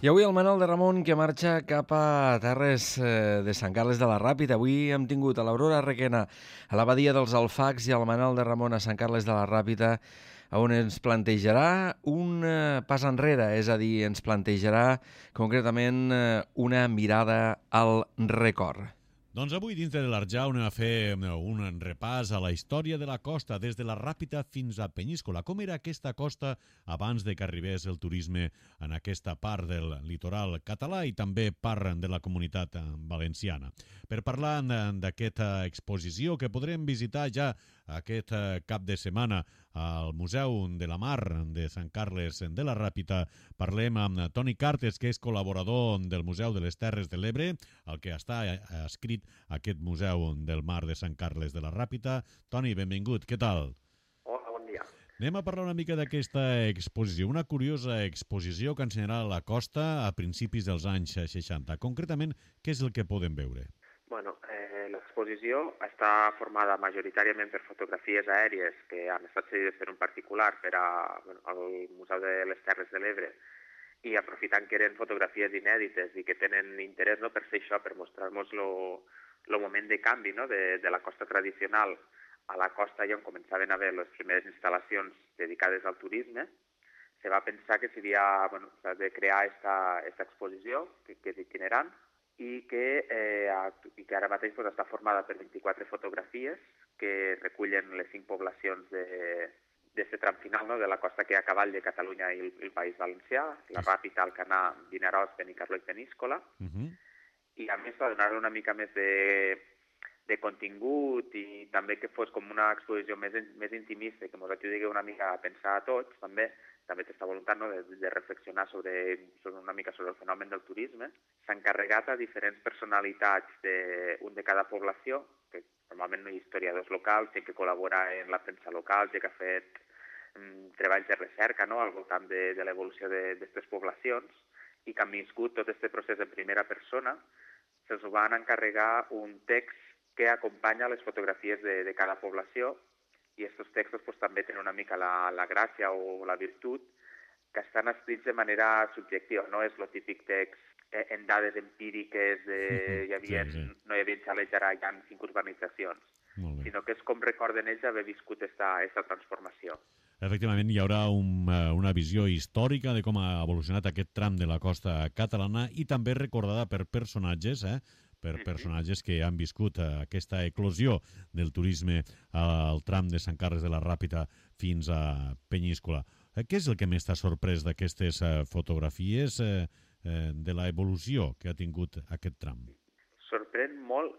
I avui el Manol de Ramon que marxa cap a terres de Sant Carles de la Ràpita. Avui hem tingut a l'Aurora Requena a la badia dels Alfacs i al Manol de Ramon a Sant Carles de la Ràpita, on ens plantejarà un pas enrere, és a dir, ens plantejarà concretament una mirada al record. Doncs avui, dintre de l'Arjau, anem a fer un repàs a la història de la costa, des de la Ràpita fins a Penyíscola. Com era aquesta costa abans de que arribés el turisme en aquesta part del litoral català i també part de la comunitat valenciana. Per parlar d'aquesta exposició que podrem visitar ja aquest cap de setmana al Museu de la Mar de Sant Carles de la Ràpita, parlem amb Toni Cartes, que és col·laborador del Museu de les Terres de l'Ebre, el que està escrit aquest Museu del Mar de Sant Carles de la Ràpita. Toni, benvingut, què tal? Hola, bon dia. Anem a parlar una mica d'aquesta exposició, una curiosa exposició que ensenyarà la costa a principis dels anys 60. Concretament, què és el que podem veure? Bueno, l'exposició està formada majoritàriament per fotografies aèries que han estat cedides per un particular al Museu de les Terres de l'Ebre, i aprofitant que eren fotografies inèdites i que tenen interès, no, per fer això, per mostrar-nos el moment de canvi, no, de la costa tradicional a la costa on començaven a haver les primeres instal·lacions dedicades al turisme, se va pensar que s'havia de crear aquesta exposició, que és itinerant, i que ara mateix està formada per 24 fotografies que recullen les 5 poblacions d'aquest tram final, no, de la costa que hi ha a cavall de Catalunya i el País Valencià, la Ràpita, Alcanar, Vinaròs, Benicarló i Peníscola. I a més, per donar-li una mica més de contingut i també que fos com una exposició més intimista i que ens ajudi una mica a pensar a tots, també aquesta voluntat, no, de reflexionar una mica sobre el fenomen del turisme. S'ha encarregat a diferents personalitats un de cada població, que normalment no hi ha historiadors locals, gent que col·labora en la premsa local, gent que ha fet treballs de recerca, no, al voltant de l'evolució d'aquestes poblacions, i que han viscut tot aquest procés en primera persona. Se'ls van encarregar un text que acompanya les fotografies de cada població, i aquests textos també tenen una mica la gràcia o la virtut que estan escrits de manera subjectiva. No és el típic text en dades empíriques no hi havia xalets, ara hi ha 5 urbanitzacions, sinó que és com recorden ells haver viscut aquesta transformació. Efectivament, hi haurà una visió històrica de com ha evolucionat aquest tram de la costa catalana i també recordada per personatges, personatges que han viscut aquesta eclosió del turisme al tram de Sant Carles de la Ràpita fins a Penyíscola. Què és el que més t'ha sorprès d'aquestes fotografies de l'evolució que ha tingut aquest tram? Sorprèn molt,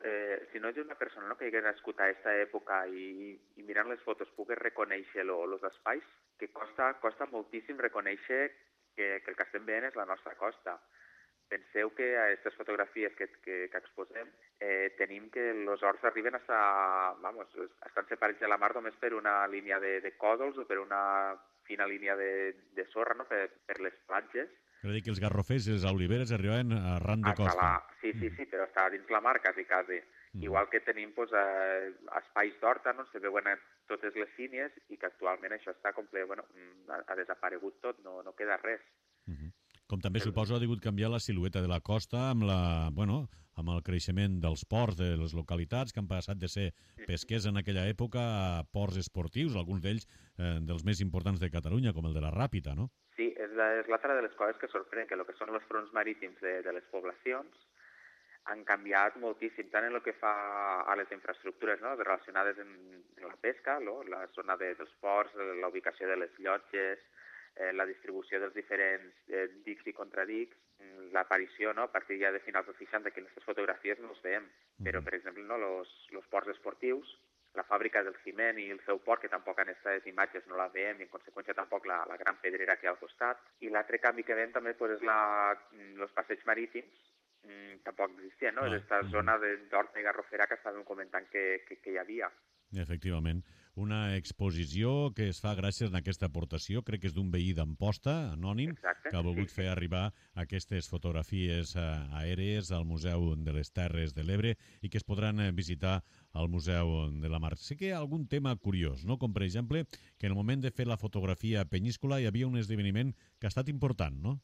si no és una persona que hagi nascut a aquesta època i mirant les fotos pugues reconèixer els espais, que costa moltíssim reconèixer que el que estem veient és la nostra costa. Penseu que a aquestes fotografies que exposem tenim que els horts arriben estan separats de la mar només per una línia de còdols o per una fina línia de sorra, no, per les platges. Cal dir que els garrofers i les oliveres arribaven arran de costa. Sí, però està dins la mar quasi. Igual que tenim espais d'horta, no, se veuen totes les línies i que actualment això està complet, ha desaparegut tot, no queda res. Com també suposo ha degut canviar la silueta de la costa amb el creixement dels ports de les localitats que han passat de ser pesquers en aquella època a ports esportius, alguns d'ells dels més importants de Catalunya, com el de la Ràpita, no? Sí, és l'altra de les coses que sorprèn, que el que són els fronts marítims de les poblacions han canviat moltíssim, tant en el que fa a les infraestructures, no, relacionades amb la pesca, la zona dels ports, la ubicació de les llotges, la distribució dels diferents dics i contradics, l'aparició, no? A partir ja de finals dels 60, que en aquestes fotografies no els veiem, però, per exemple, no? Los ports esportius, la fàbrica del ciment i el seu port, que tampoc en aquestes imatges no la veiem, i en conseqüència tampoc la gran pedrera que hi ha al costat. I l'altre canvi que veiem també és els passeigs marítims, tampoc existien, no? Aquesta zona d'horta i garrofera que estàvem comentant que hi havia. Efectivament. Una exposició que es fa gràcies a aquesta aportació, crec que és d'un veí d'Amposta, anònim, que ha volgut fer arribar aquestes fotografies aèries al Museu de les Terres de l'Ebre i que es podran visitar al Museu de la Mar. Sé que hi ha algun tema curiós, no? Com per exemple, que en el moment de fer la fotografia a Peníscola hi havia un esdeveniment que ha estat important, no?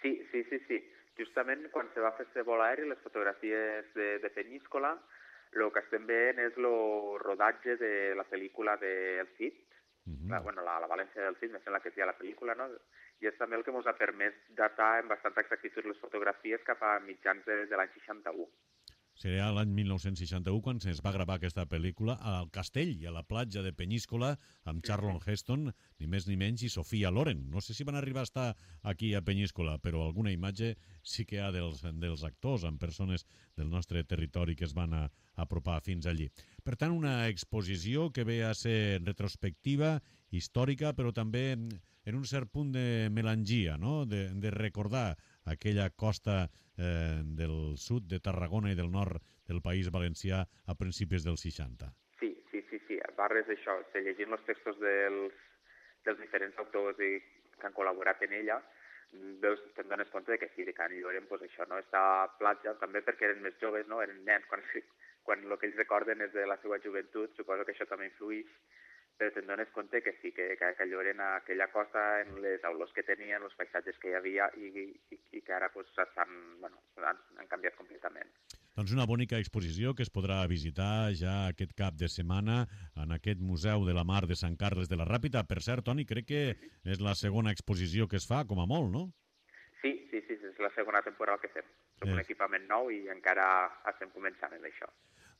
Sí. Justament quan se va fer este vol aeri, les fotografies de Peníscola, el que estem veient és el rodatge de la pel·lícula del Cid, la València del Cid, me sembla que és ja la pel·lícula, no? I és també el que ens ha permès datar amb bastanta exactitud les fotografies cap a mitjans de l'any 61. Seria l'any 1961 quan es va gravar aquesta pel·lícula al castell i a la platja de Peníscola amb Charlton Heston, ni més ni menys, i Sofia Loren. No sé si van arribar a estar aquí a Peníscola, però alguna imatge sí que hi ha dels actors, amb persones del nostre territori que es van apropar fins allí. Per tant, una exposició que ve a ser retrospectiva, històrica, però també en un cert punt de melangia, no? De recordar aquella costa del sud de Tarragona i del nord del País Valencià a principis dels 60. Sí. A part d'això, llegint els textos dels diferents autors que han col·laborat en ella, te'n dones compte que sí, de Can Lloren, doncs això, no? Esta platja, també perquè eren més joves, no? Eren nens, quan el que ells recorden és de la seva joventut, suposo que això també influïx, però te'n dones compte que sí, que Lloren a aquella costa, en les olors que tenien, els paisatges que hi havia i que ara han canviat completament. Doncs una bonica exposició que es podrà visitar ja aquest cap de setmana en aquest Museu de la Mar de Sant Carles de la Ràpita. Per cert, Toni, crec que és la segona exposició que es fa, com a molt, no? Sí, és la segona temporada que fem. Som un equipament nou i encara estem començant en això.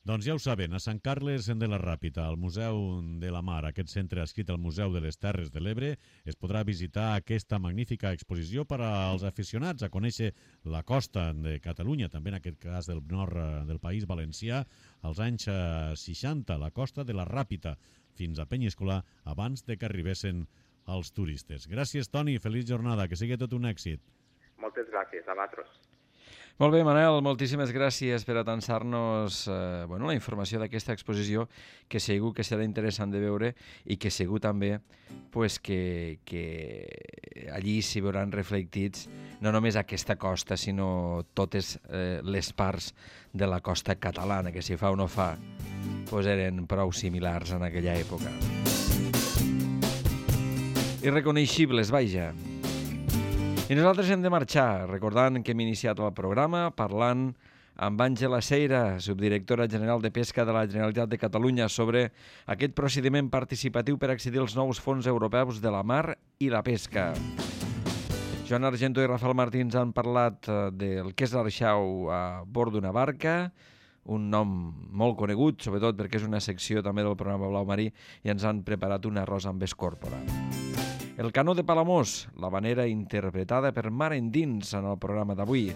Doncs ja ho saben, a Sant Carles de la Ràpita, al Museu de la Mar, aquest centre adscrit al Museu de les Terres de l'Ebre, es podrà visitar aquesta magnífica exposició per als aficionats a conèixer la costa de Catalunya, també en aquest cas del nord del País Valencià, als anys 60, la costa de la Ràpita, fins a Peníscola, abans de que arribessin els turistes. Gràcies, Toni, feliç jornada, que sigui tot un èxit. Moltes gràcies, a vosaltres. Molt bé, Manel, moltíssimes gràcies per atançar-nos la informació d'aquesta exposició, que segur que serà interessant de veure i que segur també que allí s'hi veuran reflectits no només aquesta costa, sinó totes les parts de la costa catalana, que si fa o no fa, eren prou similars en aquella època. Irreconeixibles, vaja. I nosaltres hem de marxar, recordant que hem iniciat el programa parlant amb Àngela Seira, subdirectora general de Pesca de la Generalitat de Catalunya, sobre aquest procediment participatiu per accedir als nous fons europeus de la mar i la pesca. Joan Argento i Rafael Martins han parlat del que és l'Arxau a bord d'una barca, un nom molt conegut, sobretot perquè és una secció també del programa Blau Marí, i ens han preparat un arròs amb escòrpora. El canó de Palamós, l'havanera interpretada per Mar Endins en el programa d'avui.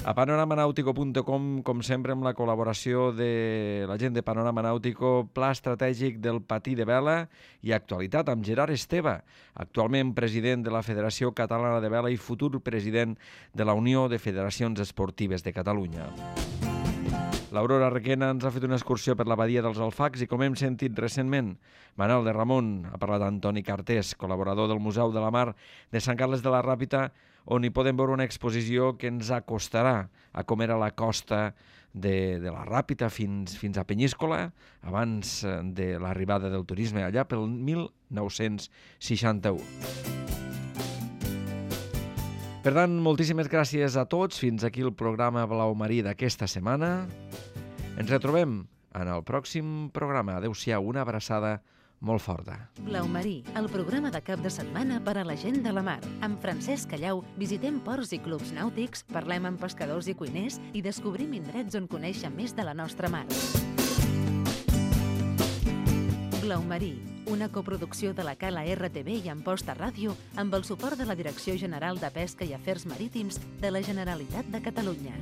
A panoramanàutico.com, com sempre, amb la col·laboració de la gent de Panorama Nàutico, pla estratègic del patí de vela i actualitat amb Gerard Esteve, actualment president de la Federació Catalana de Vela i futur president de la Unió de Federacions Esportives de Catalunya. L'Aurora Requena ens ha fet una excursió per la badia dels Alfacs i, com hem sentit recentment, Manel de Ramon ha parlat d'Antoni Cartés, col·laborador del Museu de la Mar de Sant Carles de la Ràpita, on hi podem veure una exposició que ens acostarà a com era la costa de la Ràpita fins a Peníscola, abans de l'arribada del turisme, allà pel 1961. Per tant, moltíssimes gràcies a tots. Fins aquí el programa Blau Marí d'aquesta setmana. Ens retrobem en el pròxim programa. Adéu-siau, una abraçada molt forta. Blau Marí, el programa de cap de setmana per a la gent de la mar. Amb Francesc Callau visitem ports i clubs nàutics, parlem amb pescadors i cuiners i descobrim indrets on conèixer més de la nostra mar. Blau Marí, una coproducció de la Cala RTV i Amposta Ràdio amb el suport de la Direcció General de Pesca i Afers Marítims de la Generalitat de Catalunya.